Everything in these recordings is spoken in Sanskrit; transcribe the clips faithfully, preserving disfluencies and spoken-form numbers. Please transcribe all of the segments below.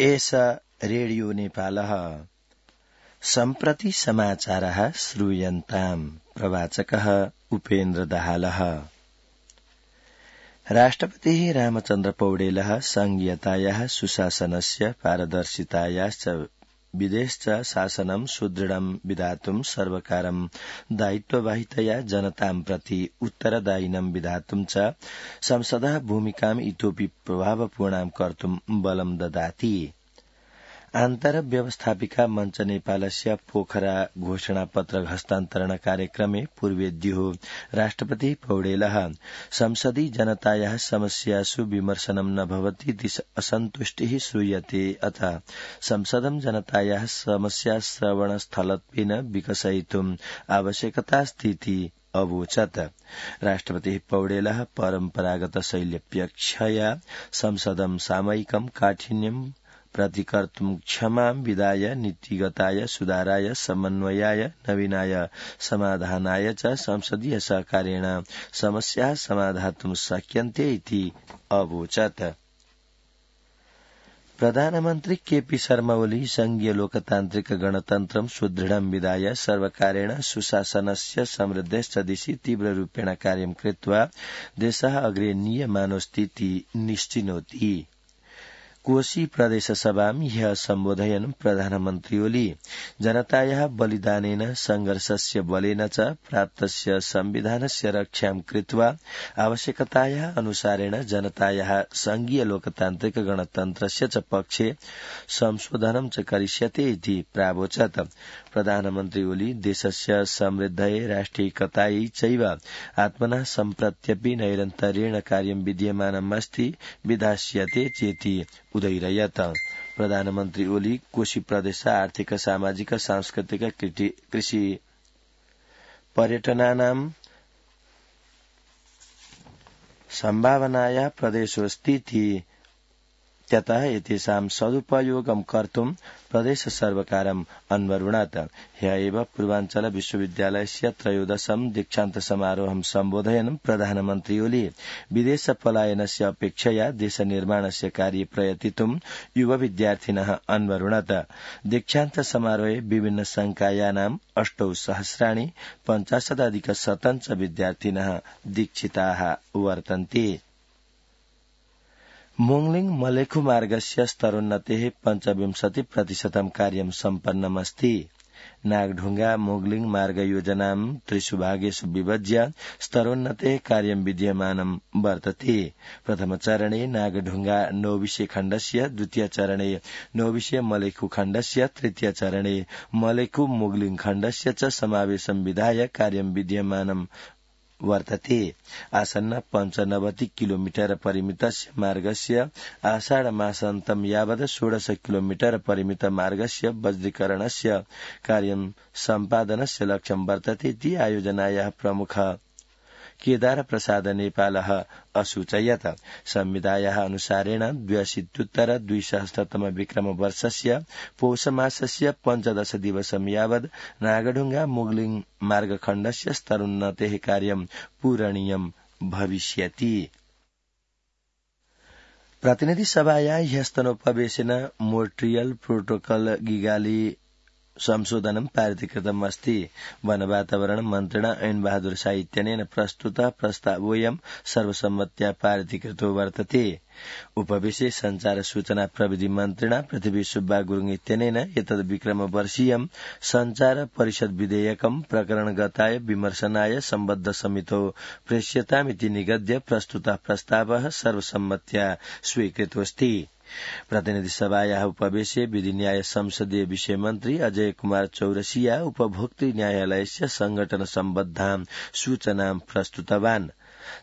एष रेडियो नेपालः सम्प्रति समाचारः श्रूयन्ताम् प्रवाचकः उपेन्द्र दाहालः। राष्ट्रपतिः रामचन्द्र पौडेलः संघीयतायाः सुशासनस्य पारदर्शितायाश्च विदेश शासनं सुदृढं विधातुं सर्वकारं दायित्ववाहितया जनतां प्रति उत्तरदायिनं विधातुं च संसदः भूमिकाम् इतोऽपि प्रभावपूर्णां कर्तुं बलं ददाति। आन्तर व्यवस्थापिका मञ्च नेपालस्य पोखरा घोषणापत्र हस्तान्तरण कार्यक्रमे पूर्वेद्युः राष्ट्रपति पौडेलः संसदि जनतायाः समस्यासु विमर्शनं न भवतीति असन्तुष्टिः श्रूयते अथ संसदं जनतायाः समस्याश्रवणस्थलत्वेन विकसयितुम् आवश्यकतास्तीति अवोचत्। राष्ट्रपतिः पौडेलः परम्परागत शैल्यपेक्षया संसदं सामयिकं काठिन्यं प्रतिकर्तुं क्षमां विदाय नीतिगताय सुधाराय समन्वयाय नवीनाय समाधानाय च संसदीय सहकारेण समस्याः समाधातुं शक्यन्ते इति अवोचत्। प्रधानमन्त्री केपी शर्मा ओली संघीय लोकतान्त्रिक गणतन्त्रं सुदृढं विधाय सर्वकारेण सुशासनस्य समृद्धेश्च दिशि तीव्ररूपेण कार्यं कृत्वा देशः अग्रे नीयमानोऽस्तीति निश्चिनोति। कोशी प्रदेश सभां ह्यः सम्बोधयन् प्रधानमन्त्री ओली जनतायाः बलिदानेन संघर्षस्य बलेन च प्राप्तस्य संविधानस्य रक्षां कृत्वा आवश्यकतायाः अनुसारेण जनतायाः संघीय लोकतान्त्रिक गणतन्त्रस्य च पक्षे संशोधनं च करिष्यते इति प्रावोचत्। प्रधानमन्त्री ओली देशस्य समृद्धये राष्ट्रियैकतायै चैव आत्मनः सम्प्रत्यपि नैरन्तर्येण कार्यं विद्यमानमस्ति विधास्यते चेति उदयरयत्। प्रधानमन्त्री ओली कोशी प्रदेश आर्थिक सामाजिक सांस्कृतिक कृषि पर्यटनानां सम्भावनायाः प्रदेशोऽस्तीति त्यतः एतेषां सदुपयोगं कर्तुं प्रदेश सर्वकारम् अन्वरुणात्। ह्यः एव पूर्वाञ्चल विश्वविद्यालयस्य त्रयोदशं दीक्षान्त समारोहं सम्बोधयन् प्रधानमन्त्री ओली विदेश पलायनस्य अपेक्षया देश निर्माणस्य कार्ये प्रयतितुं युव विद्यार्थिनः अन्वरुणात्। दीक्षान्त समारोहे विभिन्न संकायानाम् अष्टौ सहस्राणि पञ्चाशदधिक शतं च विद्यार्थिनः दीक्षिताः वर्तन्ते। मोङ्लिङ मलेखु मार्गस्य स्तरोन्नतेः पञ्चविंशति प्रतिशतं कार्यं सम्पन्नमस्ति। नागढुङ्गा मोग्लिङ मार्ग योजनां त्रिषु भागेषु विभज्य स्तरोन्नतेः कार्यं विद्यमानं वर्तते। प्रथमचरणे नागढुङ्गा नौविषे खण्डस्य, द्वितीयचरणे नौविषे मलेखु खण्डस्य, तृतीयचरणे मलेखु मोग्लिङ खण्डस्य च समावेशं विधाय कार्यं विद्यमानं वर्तते। आसन्न पञ्चनवति किलोमीटर परिमितस्य मार्गस्य आषाढ मासान्तं यावत् षोडश किलोमीटर परिमित मार्गस्य वज्रीकरणस्य कार्यं सम्पादनस्य लक्ष्यं वर्तते इति आयोजनायाः प्रमुख केदार प्रसाद नेपालः असूचयत्। संविधायाः अनुसारेण द्व्यशीत्युत्तर द्विसहस्रतम विक्रम वर्षस्य पौषमासस्य पञ्चदश दिवसं यावत् नागढुङ्गा मोग्लिङ मार्गखण्डस्य स्तरोन्नतेः कार्यं पूरणीयं भविष्यति। प्रतिनिधि सभायाः ह्यस्तनोपवेशेन मोन्ट्रियल प्रोटोकॉल गिगाली संशोधनं पारितीकृतम् अस्ति। वन वातावरण मन्त्रिणा ऐन बहादुर शाह इत्यनेन प्रस्तुतः प्रस्तावोऽयं सर्वसम्मत्या पारितीकृतो वर्तते। उपवेशे संचार सूचना प्रविधि मन्त्रिणा पृथ्वी सुब्बा गुरुङ इत्यनेन एतद् विक्रमवर्षीयं संचार परिषद विधेयकं प्रकरणगताय विमर्शनाय सम्बद्ध समितौ प्रेष्यतामिति निगद्य प्रस्तुतः प्रस्तावः सर्वसम्मत्या स्वीकृतोऽस्ति। प्रतिनिधि सभायाः उपवेशे विधि न्याय संसदीय विषय मन्त्री अजय कुमार चौरसिया उपभोक्तृ न्यायालयस्य संगठन सम्बद्धां सूचनां प्रस्तुतवान्।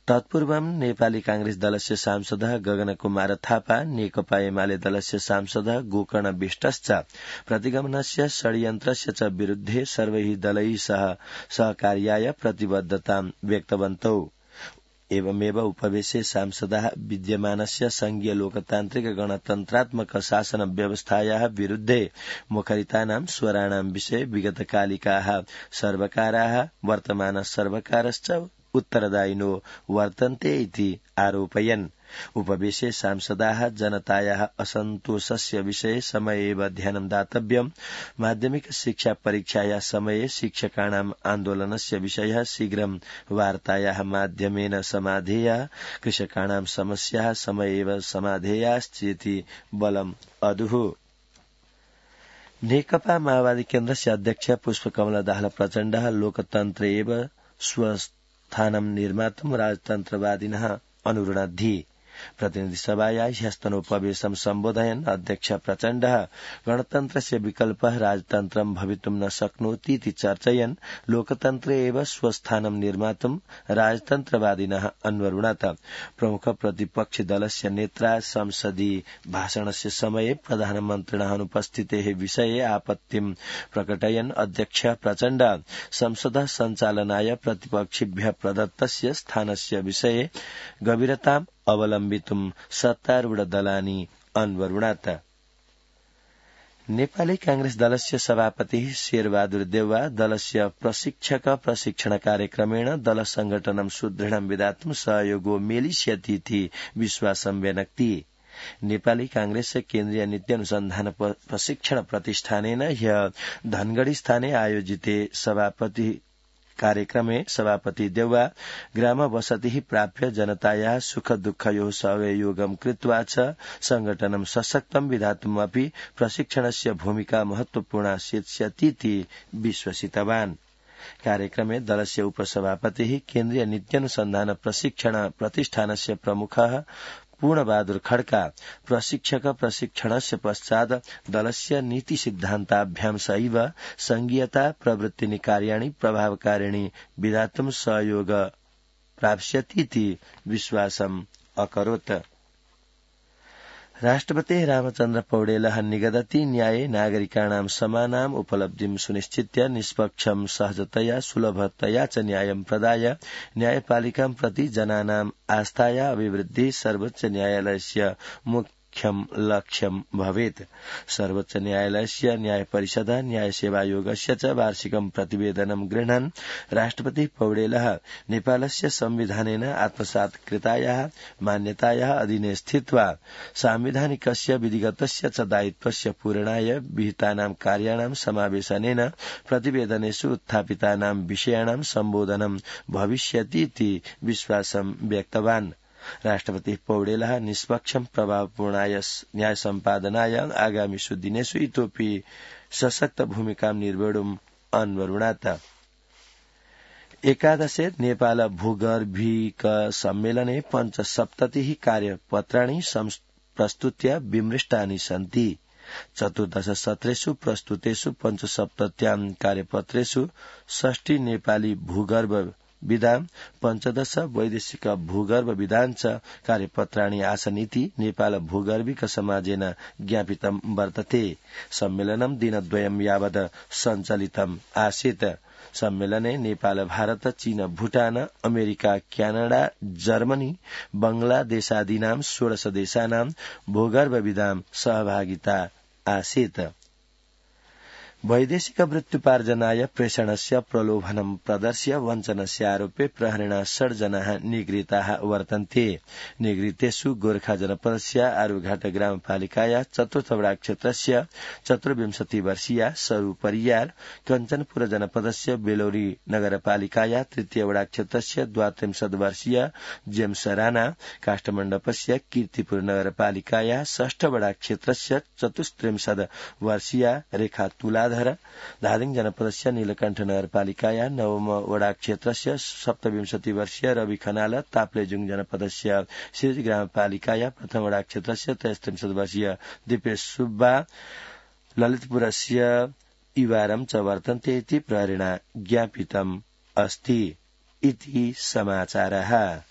तत्पूर्वं नेपाली कांग्रेस दलस्य सांसदः गगन कुमार थापा, नेकपा एमाले दलस्य सांसदः गोकर्ण विष्टश्च प्रतिगमनस्य षड्यन्त्रस्य च विरुद्धे सर्वैः दलैः सह सहकार्याय प्रतिबद्धतां व्यक्तवन्तौ। एवमेव उपवेशे सांसदाः विद्यमानस्य संघीय लोकतान्त्रिक गणतन्त्रात्मक शासन व्यवस्थायाः विरुद्धे मुखरितानां स्वराणां विषये विगतकालिकाः सर्वकाराः वर्तमान सर्वकारश्च उत्तरदायिनो वर्तन्ते इति आरोपयन्। उपवेशे सांसदाः जनतायाः असन्तोषस्य विषये समयेव ध्यानं दातव्यम्। माध्यमिक शिक्षा परीक्षाया समये शिक्षकाणाम् आन्दोलनस्य विषयः शीघ्रं वार्तायाः माध्यमेन समाधेयः। कृषकाणां समस्याः समयेव समाधेयाश्चेति बलम् अदुः। नेकपा माओवादी केन्द्रस्य अध्यक्ष पुष्पकमल दाहाल प्रचण्डः लोकतन्त्रे एव स्वस्थानं निर्मातुं राजतन्त्रवादिनः अनुरुणद्धि। प्रतिनिधिसभाया ह्यस्तनोपवेशं सम्बोधयन् अध्यक्ष प्रचण्डः गणतन्त्रस्य विकल्पः राजतन्त्रं भवितुं न शक्नोतीति चर्चयन् लोकतन्त्रे एव स्वस्थानं निर्मातुं राजतन्त्रवादिनः अन्वरुणत। प्रमुख प्रतिपक्षि दलस्य नेत्रा संसदीय भाषणस्य समये प्रधानमन्त्रिणः अनुपस्थितेः विषये आपत्तिं प्रकटयन् अध्यक्ष प्रचण्ड संसदः सञ्चालनाय प्रतिपक्षिभ्यः प्रदत्तस्य स्थानस्य विषये गभीरताम् अवलम्बितुं सत्तारूढ दलानि अन्वरुणत। नेपाली कांग्रेस दलस्य सभापतिः शेरबहादुर देउवा दलस्य प्रशिक्षक प्रशिक्षण कार्यक्रमेण दल संगठनं सुदृढं विधातुं सहयोगो मेलिष्यतीति विश्वासं व्यनक्ति। नेपाली कांग्रेस केन्द्रीय नीति अनुसन्धान प्रशिक्षण प्रतिष्ठानेन ह्य धनगढ़ी स्थाने आयोजिते सभापति कार्यक्रमे सभापति देउवा ग्राम वसति प्राप्य जनतायाः सुख दुःखयोः सहयोगं कृत्वा च संगठनं सशक्तं विधातुमपि प्रशिक्षणस्य भूमिका महत्वपूर्णा सेत्स्यतीति विश्वसितवान्। कार्यक्रमे दलस्य उपसभापतिः केन्द्रीय नीत्यनुसन्धान प्रशिक्षण प्रतिष्ठानस्य प्रमुखः पूर्णबहादुर खड्का प्रशिक्षक प्रशिक्षणस्य पश्चात् दलस्य नीति सिद्धान्ताभ्यां सैव संघीयता प्रवृत्तिनि कार्याणि प्रभावकारिणि विधातुं सहयोग प्राप्स्यतीति विश्वासम् अकरोत्। राष्ट्रपतिः रामचन्द्र पौडेलः निगदति न्याये नागरिकाणां समानाम् उपलब्धिं सुनिश्चित्य निष्पक्षं सहजतया सुलभतया च न्यायं प्रदाय न्यायपालिकां प्रति जनानाम् आस्थाया अभिवृद्धिः सर्वोच्च न्यायालयस्य मुख्यं लक्ष्यं भवेत्। सर्वोच्च न्यायालयस्य न्याय परिषद न्याय सेवायोगस्य च वार्षिकं प्रतिवेदनं गृह्णन् राष्ट्रपति पौडेलः नेपालस्य संविधानेन आत्मसात् कृतायाः मान्यतायाः अधीने स्थित्वा सांविधानिकस्य विधिगतस्य च दायित्वस्य पूरणाय विहितानां कार्याणां समावेशनेन प्रतिवेदनेषु उत्थापितानां विषयाणां सम्बोधनं भविष्यतीति विश्वासं व्यक्तवान्। राष्ट्रपति पौडेलः निष्पक्षं प्रभावपूर्णाय न्याय सम्पादनाय आगामिषु दिनेषु इतोपि सशक्त भूमिकां निर्वोढुम् अन्वरुणात। एकादशे नेपाल भूगर्भिक सम्मेलने पञ्चसप्ततिः कार्यपत्राणि प्रस्तुत्य विमृष्टानि सन्ति। चतुर्दश सत्रेषु प्रस्तुतेषु पञ्चसप्तत्यां कार्यपत्रेषु षष्टि नेपाली भूगर्भ विधान पञ्चदश वैदेशिक भूगर्भ विधान च कार्यपत्राणि आसनीति नेपाल भूगर्भिक समाजेन ज्ञापितं वर्तते। सम्मेलनं दिनद्वयं यावत् सञ्चालितम् आसीत्। सम्मेलने नेपाल भारत चीन भूटान अमेरिका क्यानाडा जर्मनी बंगलादेशादीनां षोडश देशानां भूगर्भविदां सहभागिता आसीत्। वैदेशिक वृत्त्युपार्जनाय प्रेषणस्य प्रलोभनं प्रदर्श्य वञ्चनस्य आरोपे प्रहरेण षड् जनाः निगृहीताः वर्तन्ते। निगृहीतेषु गोर्खा जनपदस्य आरुघाट ग्रामपालिकाया चतुर्थ वडा क्षेत्रस्य चतुर्विंशति वर्षीया सरू परियार, कञ्चनपुर जनपदस्य बेलोरी नगरपालिकाया तृतीय वडा क्षेत्रस्य द्वात्रिंशत् वर्षीय जेम्स राणा, काष्ठमण्डपस्य कीर्तिपुर नगरपालिकाया षष्ठ वडा क्षेत्रस्य चतुस्त्रिंशत् वर्षीया रेखा तुलाधर, धादिङ जनपदस्य नीलकण्ठ नगरपालिकाया नवम वडा क्षेत्रस्य सप्तविंशति वर्षीय रवि खनाल, ताप्लेजुङ जनपदस्य सिरजी ग्रामपालिकाया प्रथम वडा क्षेत्रस्य त्रयस्त्रिंशत् वर्षीय दिपेश सुब्बा, ललितपुरस्य इवारं च वर्तन्ते इति प्रहरेण ज्ञापितम् अस्ति। इति समाचारः।